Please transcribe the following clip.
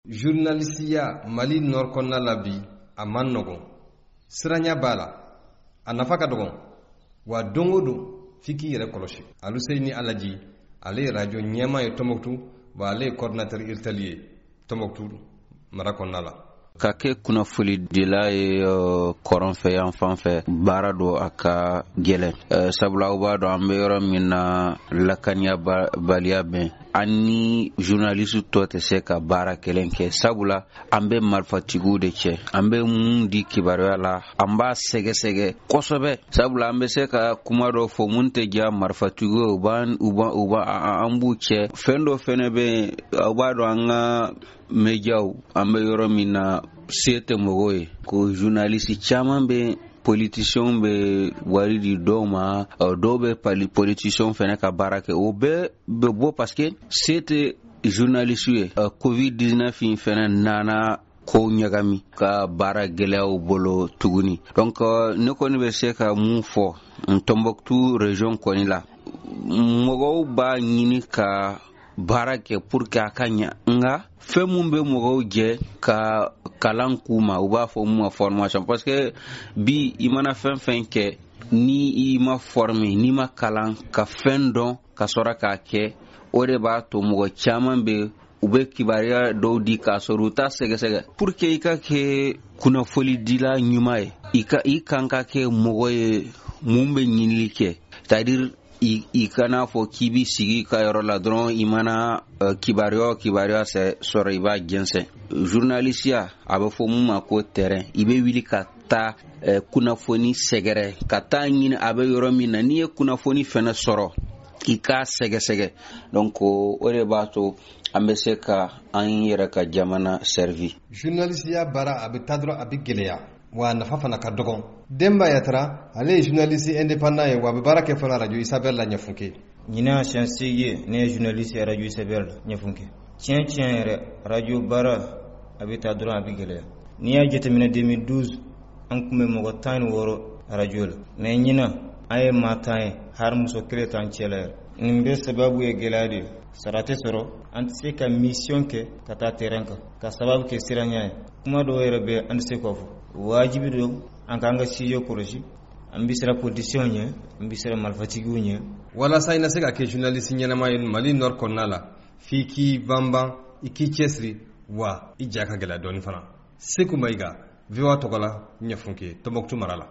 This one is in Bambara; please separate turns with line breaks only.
Journalisiya Mali nord kɔnɔna la bi, a man nɔgɔn. Siranya b'a la, a nafa ka dɔgɔn, wa don o don f'i k'i yɛrɛ kɔlɔsi. Aluseyini Alaji, ale ye radio ɲɛmaa ye Tɔnbɔkutu, wa ale ye coordinateur URTEL ye Tɔnbɔkutu mara kɔnɔna la.
Ka kɛ kunnafonidila ye kɔrɔn fɛ yan fan fɛ, baara don a ka gɛlɛn, sabula aw b'a dɔn an bɛ yɔrɔ min na, lakaniyabaliya bɛ an ni journaliste tɔ tɛ se ka baara kelen kɛ, sabula an bɛ marifatigiw de cɛ. An bɛ mun di kibaruya la, an b'a sɛgɛsɛgɛ kosɛbɛ, sabula an bɛ se ka kuma dɔ fɔ mun tɛ diya marifatigiw ye, u b'a an b'u cɛ. Fɛn dɔ fɛnɛ bɛ yen, aw b'a dɔn an ka médiaw, an bɛ yɔrɔ min na, se tɛ mɔgɔw ye ko journaliste caman bɛ, politiciens bɛ wari di dɔw ma, dɔw bɛ politiciens fɛnɛ ka baara kɛ. O bɛɛ bɛ bɔ parce que se tɛ journaliste ye. Covid 19 in fɛnɛ nana ko ɲagami ka baara gɛlɛyaw bolo tuguni. Donc ne kɔni bɛ se ka mun fɔ Tombouctou région kɔni la, mɔgɔw b'a ɲini ka baara kɛ pour que a ka ɲa, nka fɛn mun bɛ mɔgɔw jɛ ka kalan k'u ma, u b'a fɔ mun ma formation, parce que bi i mana fɛn fɛn kɛ, ni i ma former, n'i ma kalan ka fɛn dɔn ka sɔrɔ k'a kɛ, o de b'a to mɔgɔ caman bɛ u bɛ kibaruya dɔw di k'a sɔrɔ u t'a sɛgɛsɛgɛ. Pour que i ka kɛ kunnafonidila ɲuman ye, i ka i kan ka kɛ mɔgɔ ye mun bɛ ɲinili kɛ, c'est à dire i kana fɔ k'i b'i sigi ka yɔrɔ la dɔrɔn, i mana kibaruya o kibaruya sɔrɔ, i b'a jɛnsɛn. Journalisiya, a bɛ fɔ mun ma ko terrain, i bɛ wuli ka taa kunnafoni sɛgɛrɛ, ka taa ɲini a bɛ yɔrɔ min na. N'i ye kunnafoni fɛnɛ sɔrɔ, i k'a sɛgɛsɛgɛ. Donc o de b'a to an bɛ se ka an yɛrɛ ka jamana servi.
Journalisiya baara, a bɛ taa dɔrɔn a bɛ gɛlɛya, wa a nafa fana ka dɔgɔn. Denba Yatara, ale ye journaliste indépendant ye, wa a bɛ baara kɛ fana radio Isabelle la Ɲɛfunke.
Ɲinan siɲɛ 8 ne ye journaliste ye radio Isabelle la Ɲɛfunke. Tiɲɛ tiɲɛ yɛrɛ, radio baara a bɛ taa dɔrɔn a bɛ gɛlɛya. N'i y'a jateminɛ, 2012 an tun bɛ mɔgɔ 16 radio la, mais ɲinan an ye maa 10 ye, hali muso kelen t'an cɛ la yɛrɛ. Nin bɛɛ sababu ye gɛlɛya de ye, sara tɛ sɔrɔ, an tɛ se ka mission kɛ ka taa terrain kan ka sababu kɛ siranya ye. Kuma dɔw yɛrɛ bɛ an tɛ se k'o fɔ. Wajibi don an k'an ka sujet kɔlɔsi, an bɛ siran politiciens ɲɛ, an bɛ siran marifatigiw ɲɛ.
Walasa i na se ka kɛ journaliste ɲɛnama ye Mali nord kɔnɔna la, f'i k'i banban, i k'i cɛsiri, wa i ja ka gɛlɛya dɔɔni fana. Seku Mayiga, VOA tɔgɔ la, Ɲɛfunke, Tɔnbɔkutu mara la.